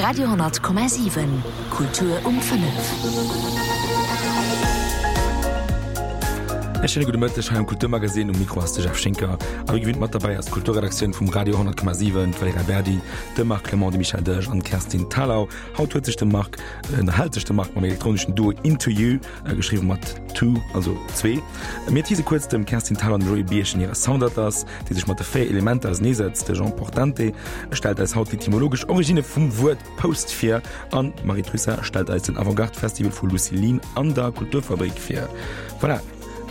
Radio 10,7 Kultur um 5. E schéine gudde Mëtteg hei am Kulturmagasinn. Um Mikro ass de Jeff Schinker. A wéi gewinnt mat derbäi ass d'Kulturredaktioun vum Radio 10,7, d'Valerija Berdi, de Marc Clement, de Michel Delage an d'Kerstin Thalau. Haut huet sech de Marc, ënnerhält sech de Marc mam elektroneschen Duo Into You, geschriwwen mat two, also zwee. Mir tease kuerz dem Kerstin Thalau an dem Joé Birchen hire Soundatlas, dee sech mat de 4 Elementer auseneesetzt. De Jean Portante stellt eis haut d'etymologesch Originne vum Wuert Post vir an d'Marie Trussart stellt eis den Avantgarde-Festival vu Lucilin an der Kulturfabrik vir. Voilà,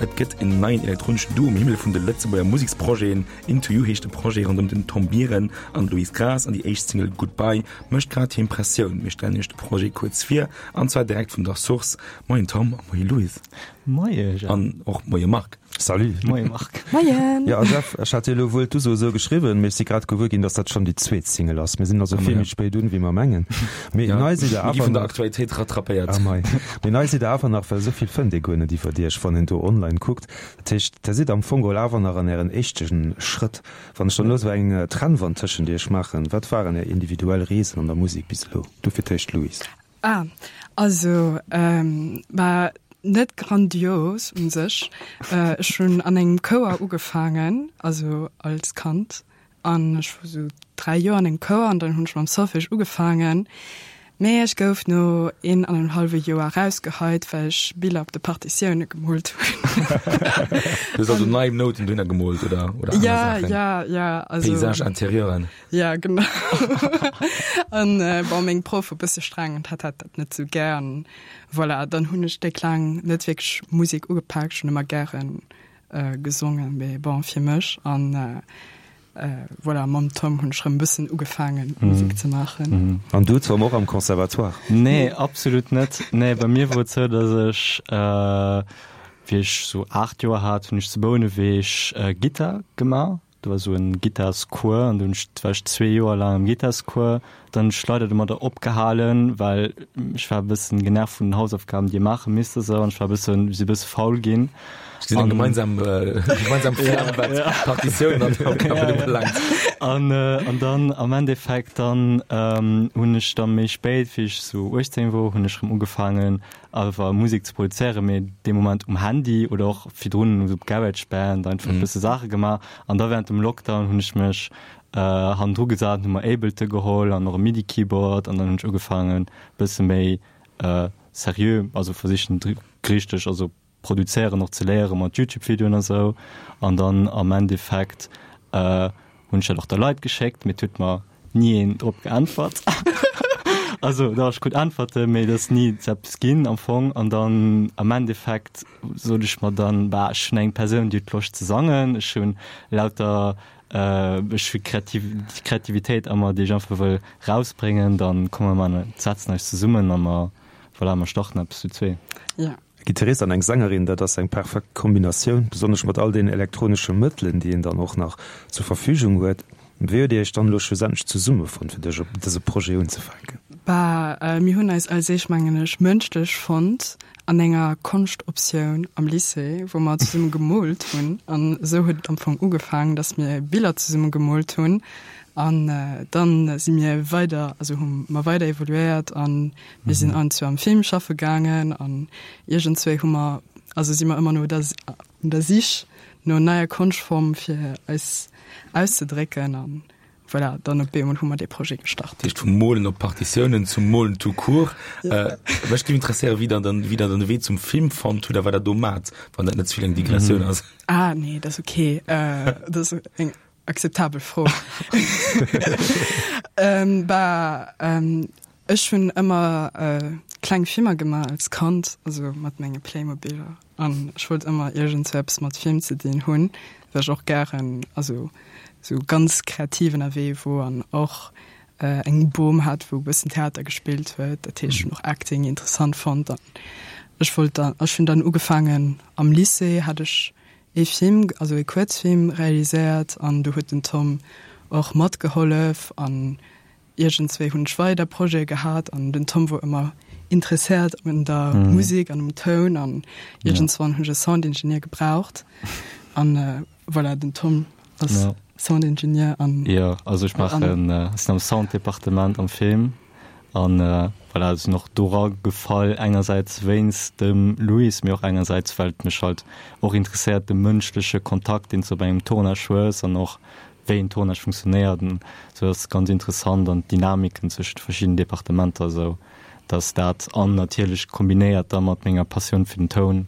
et gëtt en neien elektroneschen Duo um Himmel vun de Lëtzebuerger Museksprojeten. Into You heescht de Projet ronderëm den Tom Biren an d'Louise Graas an déi éischt Single Goodbye mécht grad hir Impressioun. Mir stellen iech de Projet kuerz vir an zwar direkt vun der Source. Moien Tom a moie Louise. Moie Jeff. An och moie Marc. Salut. Moie Marc. Moien. Jo, a Jeff, ech hat dir elo wuel d'Uso esou geschriwwen, mee ech si grad gewuer ginn, dass dat schonn déi zweet Single ass. Mir sinn also vill méi spéit un, wéi mer mengen. Mee nei sidd der Mir gi awer vun der nach. Aktualitéit rattrapéiert. Ah mei. Mee nei sidd der awer nach, well esou vill fënnt ee guer net iwwert iech, wann een do online kuckt. Dat heescht, der sidd am Fong geholl awer nach an ären éischte Schrëtt. Wann ech dann elo esou eng Trennwand tëschent iech maachen, wat waren är individuell Reesen an der Musek bis elo? Du fir d'éischt, Louise. Ah, also bah, net grandios un sech. Ech hunn an engem Chouer ugefaangen, also als Kand, an ech wor sou 3 Joer an engem Chouer an dann hunn ech mam Solfège ugefaangen. Mee ech gouf no een an engem hallwe Joer erausgeheit, well ech Biller op de Partitioune gemoolt hunn. Du hues also nei Nouten dohinner gemoolt oder oder aner Ja, Saachen? ja, ja, also. Paysage intérieuren. Ja, genau. An bon, meng Proff wor bësse streng an hat hat dat net sou gär. An voilà, dann hunn ech déck laang net wierklech Musek ugepaakt. Ech hunn ëmmer gären gesongen, mee bon, fir mech. An voilà, mam Tom hunn ech rëm bëssen ugefaangen, Musek ze maachen. An du, Tom, och am Conservatoire? Nee, absolut net. Nee, bei mir wor et sou, datt ech, wéi ech sou 8 Joer hat, hunn ech zu Bouneweg Gittar gemaach. Do war sou en Gittarscours an do hunn ech, war ech zwee Joer laang am Gittarscours. Dann hunn ech leider domadder opgehalen, well ech war e bëssen genervt vun den Hausaufgaben, déi ee maache misst a sou an ech war e bëssen, si e bësse faul ginn. Ech gesinn eng gemeinsam, gemeinsam Flamm, wat d'Partitiounen an d'Aufgaben ubelaangt. An, an dann am Endeffekt dann hunn ech da méi spéit, wéi ech sou 18 wor, hunn ech rëm ugefaangen awer Musek ze produzéieren, mee dee Moment um Handy oder och virdrun op GarageBand einfach e bësse Saache gemaach. An da während dem Lockdown hunn ech mech hannendru gesat an hu mer Ableton geholl an och e Midi-Keyboard an dann hunn ech ugefaangen e bësse méi seriö, also versichen richteg, also produzéieren och ze léiere mat YouTube-Videoen a sou. An dann am Endeffekt hunn ech dat och der Leit geschéckt, mee et huet mer ni een drop geäntwert. Also dach, ech krut Äntwerten, mee et ass ni zu eppes ginn am Fong. An dann am Endeffekt sot ech mer dann, bah, ech hunn eng Persoun, déi huet Loscht ze sangen, ech hunn lauter, ech hu Kreativ, Kreativitéit a mer, déi ech einfach wëll rausbréngen, dann komme mer, setzen eis zesummen a mer, voilà, mer starten eppes zu zwee. Ja. E Gittarist an eng Sängerin, dat ass eng perfekt Kombinatioun, besonnesch mat all deenen elektronesche Mëttelen, déi een dann och nach zur Verfügung huet. Wéi huet Dir Iech dann elo schlussendlech zesummefonnt, fir dech op dëse Projet unzefänken? Bah, mir hunn eis als éischt, mengen ech, mënschlech fonnt an enger Konschtoptioun am Lycée, wou mer zesumme gemoolt hunn. An esou huet et am Fong ugefaangen, dass mir Biller zesumme gemoolt hunn. An dann si mir weider, also hu mer weider evoluéiert an Mir sinn an zu am Film schaffe gaangen an iergendzwéi hu mer, also si mer ëmmer no der un der Sich no neier Konschtform fir eis auszedrécken an voilà, dann op eemol hu mer dee Projet gestart. Dat heescht vum Molen op Partitiounen zum Molen tout court. Mech géif interesséieren, wéi der dann, wéi der dann de Wee zum Film fonnt hutt a wat der do maacht, wann dat net ze vill eng Digressioun ass. Ah nee, dat ass ok. Dat ass eng akzeptabel Fro. Bah, ech hunn ëmmer kleng Filmer gemaach als Kand, also mat menge Playmobiler. An ech wollt ëmmer iergendsou eppes mat Film ze dinn hunn, well ech och gären, also sou ganz kreativ ënnerwee wor an och eng Bom hat, wou e bëssen Theater gespillt huet. Dat heescht, ech hunn och Acting interessant fonnt. An ech wollt dann, ech hunn dann ugefaangen am Lycée hat ech ee Film, also ee Kuerzfilm realiséiert an do huet den Tom och matgehollef an iergendswéi hunn ech weider Projete gehat an den Tom wor ëmmer interesséiert un der Musek an um Toun an iergendswann hunn ech e Soundingenieur gebraucht an voilà, den Tom ass Soundingenieur an. Jo, also ech maachen, ech sinn am Sounddepartement am Film. An voilà, sinn och dora gefall, engersäits wéinst dem Louis, mee och engersäits well et mech halt och interesséiert, de mënschleche Kontakt, deen s de op engem Tournage hues an och wéi en Tournage funktionéiert an esou ass ganz interessant an d'Dynamiken zwëschent de verschiddenen Departementer esou dass dat an natierlech kombinéiert da mat menger Passioun fir den Toun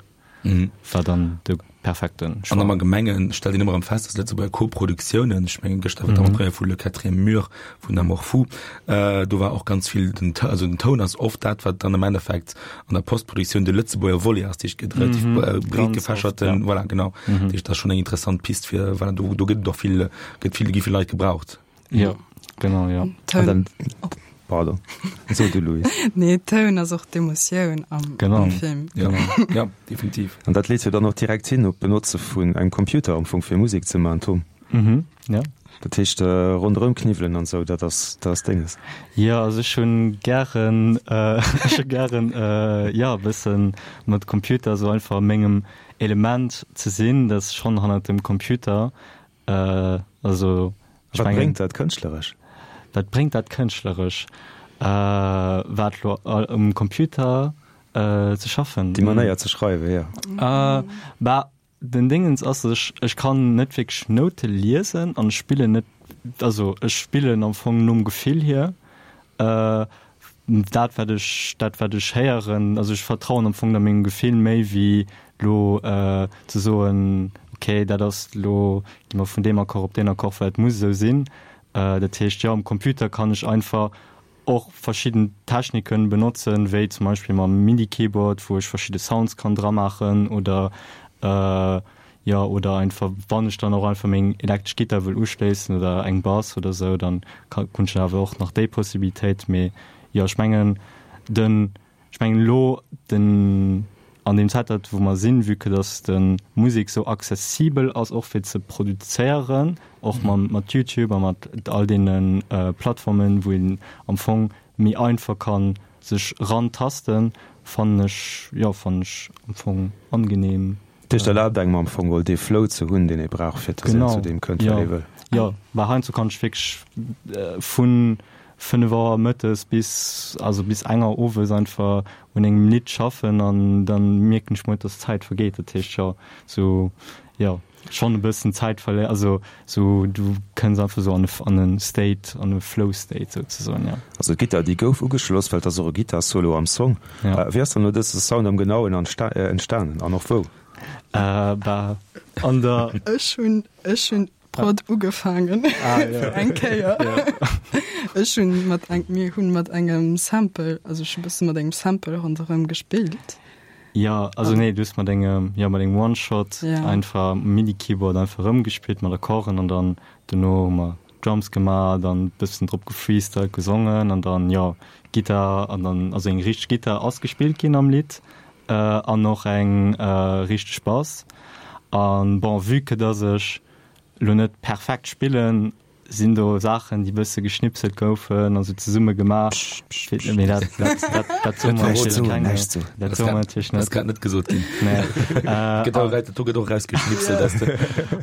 war dann de perfekte Choix. An am Allgemengen stellt een ëmmer erëm fest, dass Lëtzebuerger Koproduktiounen, ech mengen gëschter war d'Avant-Première vu Le Quatrième Mur vun Amour Fou, do war och ganz vill den, also den Toun ass oft dat, wat dann am Endeffekt an der Postproduktioun de Lëtzebuerger Volet ass, dat heescht gëtt relativ breet gefächerten, voilà, genau. Dat heescht, dat ass schonn eng interessant Pist fir, voilà, do, do gëtt et och vill, gëtt vill, gi vill Leit gebraucht. Jo, genau, jo. Toun. Pardon, so du Louis. Nee, Toun ass och d'Emotioun am, genau. am Film. Ja, ja, definitiv. An dat leet jo dann och direkt hin op d'Benotze vun engem Computer am Fong fir Musek ze maachen, Tom. Mhm, ja. Dat heescht ronderëm kniwwelen an esou, dat ass, dat ass denges. Jo, also ech hunn gären, ech hu gären, jo, e bëssen mat Computer esou einfach a mengem Element ze sinn, dat ass schonn hannert dem Computer. Also ech mengen. Wat bréngt dat kënschtleresch? Wat bréngt dat kënschtleresch? Wat elo um Computer ze schaffen? Déi Manéier ze schreiwen, jo. Bah, Den Dingens ass, dass ech, ech kann net wierklech Noute liesen an ech spillen net, also ech spillen am Fong nom Gefill hier, dat wat ech, dat wat ech héieren, also ech vertrauen am Fong da mengem Gefill méi wéi lo ze soen, okay dat ass lo, gi mer vun deem Accord op deen Accord, well et muss esou sinn. Dat heescht, jo, am Computer kann ech einfach och verschidden Techniken benotzen, wéi zum Beispill mam Midi-Keyboard, wou ech verschidde Sounds kann dramaachen oder jo, oder einfach wann ech dann och einfach meng elektresch Gittar wëll uschléissen oder eng Bass oder sou, dann hunn ech awer och nach déi Possibilitéit. Mee jo, ech mengen den Ech mengen elo den, an deem Zäitalter wou mer sinn, vue que dass de Musek sou accessibel ass och fir ze produzéieren, och mam mat Youtube a mat all deene Plattformen, wou een am Fong méi einfach kann sech rantasten, fannen ech, jo fannen ech am Fong angenehm. Dat heescht, erlaabt engem am Fong geholl dee Flow ze hunn, deen ee brauch, fir dass een zu deem kënnt, wat ee wëll. Jo, well heiansdo kann ech wierklech vu 5 Auer mëttes bis, also bis eng Auer owes einfach un engem Lidd schaffen an dann mierken ech mol, dass d'Zäit vergeet. Dat heescht, jo, sou, jo, schonn e bëssen Zäit verléieren, also sou du kënns einfach sou an e, an e State, an e Flow State souzesoen, jo. Also d'Gittar, déi gouf ugeschloss, well et ass och e Gittar-Solo am Song. Ja. Wéi ass dann elo dëse Sound am Genauen entstanen an och wou? Bah, an der. Ech hunn, ech hunn d'Prod ugefaangen fir eng Kéier. Ech hunn mat eng, mir hunn mat engem Sample, also ech hu bësse mat engem Sample ronderëm gespillt. Jo, also nee, du hues mat engem, jo, mat engem One-Shot einfach Midi-Keyboard einfach erëmgespillt mat Akkorden an dann dono hu mer Drums gemaach, dann bëssen drop gefreestylt, gesongen an dann, jo, Gittar an dann, also eng richteg Gittar ass gespillt ginn am Lidd an och eng richteg Bass. An bon, vue que dass ech lo net perfekt spillen, Sinn do Saachen, déi bësse geschnipselt goufen, also zesumme gemaach? Mee dat, dat, dat, dat soe mer natierlech kengem. Näischt soen. Dat soe mer natierlech net. Dat ass grad net gesot ginn. Nee. Gëtt och, do gëtt och erausgeschnipselt aus de.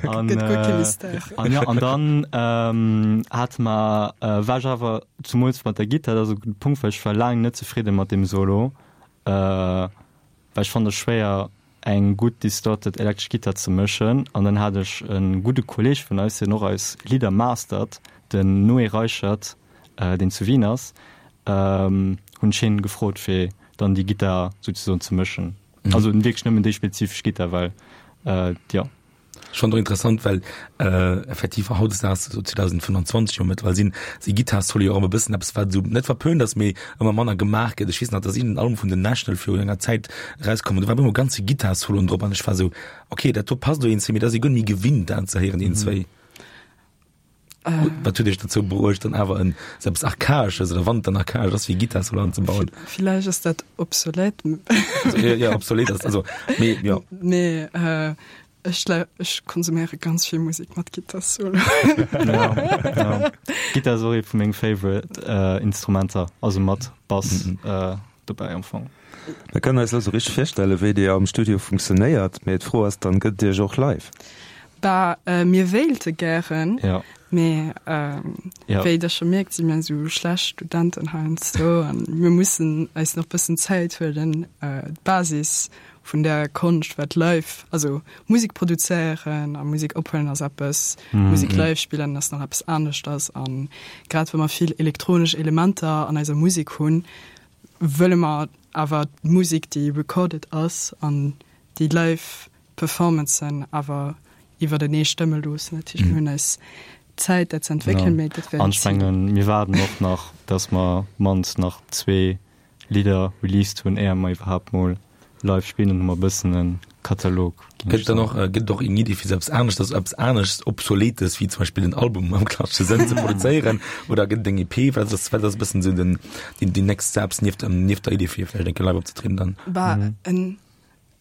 An, Gëtt guer kee Mystère. An jo, an dann hate mer, war ech awer zumools mat der Gittar, dat ass e gudde Punkt, well ech war laang net zefridde mat deem Solo. Well ech fannen et schwéier eng gutt distorted elektresch Gittar ze mëschen an dann hat ech e gudde Kolleg vun eis, deen och eis Lidder mastert, den Noé Reichert, deen zu Wien ass, hunn ech hien gefrot fir dann déi Gittar souzesoen ze mëschen. Also wierklech nëmmen déi spezifesch Gittar, well jo. Ech fannen och interessant, well effektiv hautdesdaags, esou 2025 jo mëttlerweil, sinn si Gittarsoli jo och ëmmer e bëssen eppes, wat esou net verpönt ass, mee ëmmer manner gemaach gëtt. Ech weess nach, dass iergendeen Album vun den National viru enger Zäit erauskomm an do war op eemol ganze Gittarsoloen drop an ech war esou, okay, dat do passt elo iergendzwéi, mee dat ass ee guer net méi gewinnt, dat ze héieren iergendzwéi. Wat huet Iech dozou bruecht, dann awer en esou eppes Archaesches, oder wann et dann archaesch ass, wéi Gittarsolo anzebauen? Villäicht ass dat obsolet. Also, jo, obsolet ass, also, mee jo. Nee, ech, ech konsuméiere ganz vill Musek mat Gittarsolo. Ja, ja. Gittar ass och ee vu menge favorite Instrumenter, also mat Bass dobäi am Fong. Mir kënnen eis elo sou richteg virstellen, wéi Dir am Studio funktionéiert, mee d'Fro ass dann, Gëtt et Iech och live? Bah, mir wéilte gären. Ja. Mee wéi der scho mierkt, si mir esou schlecht Studenten heiansdo an mir mussen eis nach bëssen Zäit huelen, d'Basis vun der Konscht, wat live, also Musek produzéieren a Musek ophuelen ass eppes, Musek live spillen ass nach eppes aneschters. A grad wa mer vill elektronesch Elementer an eiser Musek hunn, wëlle mer awer d'Musek, déi recorded ass an déi live Performancen awer iwwertenee stëmme loossen. Dat heescht, mir hunn eis Zäit, dat ze entwéckelen, mee dat wär An ech mengen, mir waarden och nach, dass mer mannst nach zwee Lidder released hunn, éier mer iwwerhaapt mol live spillen. Dann hu mer e bëssen e Katalog, géing ech Gëtt dann och, soen. gëtt et och eng Iddi fir sou eppes aneschters, eppes anescht Obsoletes wéi zum Beispill en Album am klassesche Sënn ze produzéieren? Oder gëtt et eng EP? Wat ass, wat ass e bëssen sou den, déi, déi next steps nieft, nieft der Iddi fir vläicht eng Kéier live opzetrieden dann? Bah, en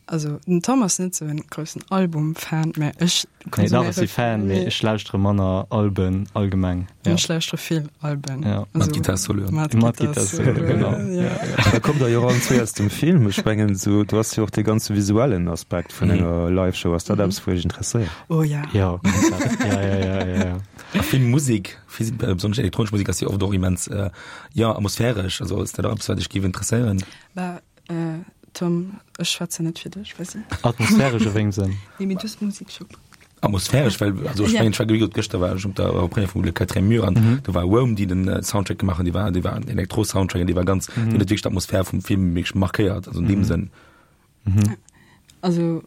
Also den Tom ass net sou en groussen Album-Fan, mä ech Nee, dach, ech si Fan, mee ech lauschtere manner Alben allgemeng. Ja. Ech lauschtere vill Alben. Ja. Mat Gittarsoloen. Mat Gittarsoloen, genau. Ja. Da kommt der jo och allen zwee aus dem Film. Ech mengen esou, du has jo och dee ganze visuellen Aspekt vun enger Live-Show. Ass dat eppes, wou iech interesséiert? Oh ja. Ja, komplett. Ja, ja, ja, ja, ja. A vill Musek, vill, besonnesch elektronesch Musek ass jo oft och immens, jo, atmosphäresch. Also ass dat och eppes, wat iech géif interesséieren? Bah, Tom, ech schwätzen net fir dech, weess de. Atmosphäresch a wéngem Sënn? Nee, mee du hues Musek scho. Atmosphäresch, well, also ech mengen, ech war wéi gesot, gëschter war ech op der Première vum Le Quatrième Mur an do war Rome, déi den Soundtrack gemaach hunn, déi war, déi war en Elektro-Soundtrack an déi war ganz, déi huet wierklech d'Atmosphär vum Film wierklech markéiert, also an deem Sënn. Also,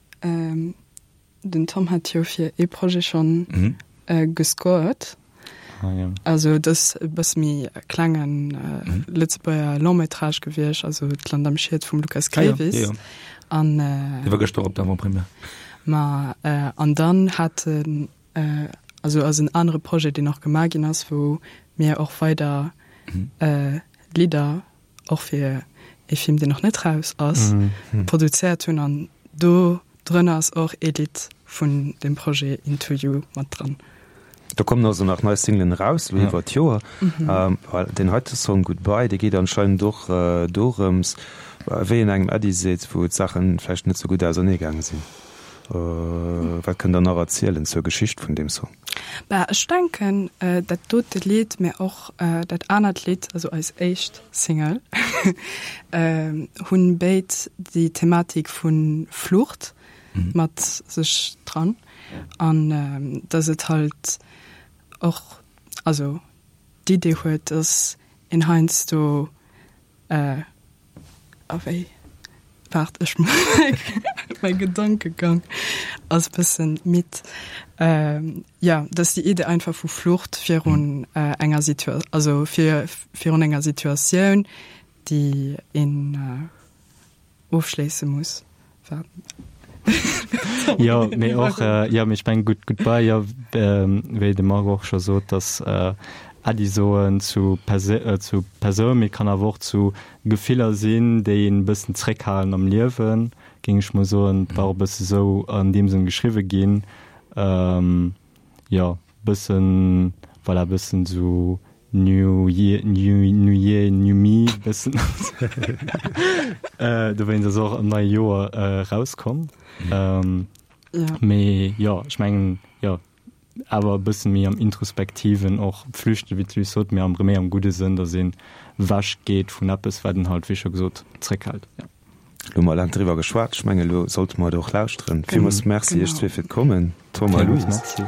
Den Tom hat jo fir ee Projet schonn mhm. äh, gescored. Ah, ja. Also dat ass e bësse méi klengen äh, mhm. Lëtzebuerger Long-métrage gewiescht, also d'Land am Schied vum Lukas Grevis. Ah, ja. Ja, ja. An äh, war gëschter op der Avant-Première. Ma äh, an dann hat äh, also ass en anere Projet, deen och gemaach ginn ass, wou mir och weider mhm. äh, Lidder och fir ee Film, deen nach net raus ass, mhm. produzéiert hunn an do Drënner ass och ee Lidd vun dem Projet Into You mat dran. Do kommen also nach nei Singlen eraus elo iwwer d'Joer. Deen heite Song Goodbye, dee geet anscheinend och dorëms, wéi een engem Äddi seet, wou d'Saachen vläicht net sou gutt ausernee gaange sinn. Wat kënnt der nach erzielen zur Geschicht vun deem Song? Bah, ech denken, dat dote Lidd, mä och dat anert Lidd, also eis éischt Single, hunn béid déi Thematik vu Flucht mat sech dran. An dass et halt och, also d'Idee huet, dass een heiansdo A wéi? Waart, ech mäi Gedankegang ass bëssen midd. Jo, dass déi Idee einfach vu Flucht virun enger Situa also fir virun enger Situatioun, déi een ofschléisse muss. Waart. Jo, mee och, jo, mee ech mengen, gutt, goodbye, jo, wéi de Marc och scho sot, dass Äddi soen zu Perse zu Persoun, mee kann awer och zu Gefiller sinn, déi een e bëssen zréckhalen am Liewen, géing ech mol soen. Et war och e bësse sou an deem Sënn geschriwwe ginn, jo, bëssen, voilà, bëssen sou New Year, New, New Year, New Me, bëssen. Dowéinst ass och am neie Joer erauskomm. Mee jo, ech mengen, jo, awer e bësse méi am Introspektiven och flüchten, wéi d'Luce sot, mee am méi am gudde Sënn, datt een ewech geet vun eppes, wat een halt, wéi scho gesot, zréckhält. Jo. Elo hu mer laang driwwer geschwat. Ech mengen, elo sollte mer et och lauschteren. Villmools Merci iech zwee fir d'Kommen, Tom a Louise. Merci.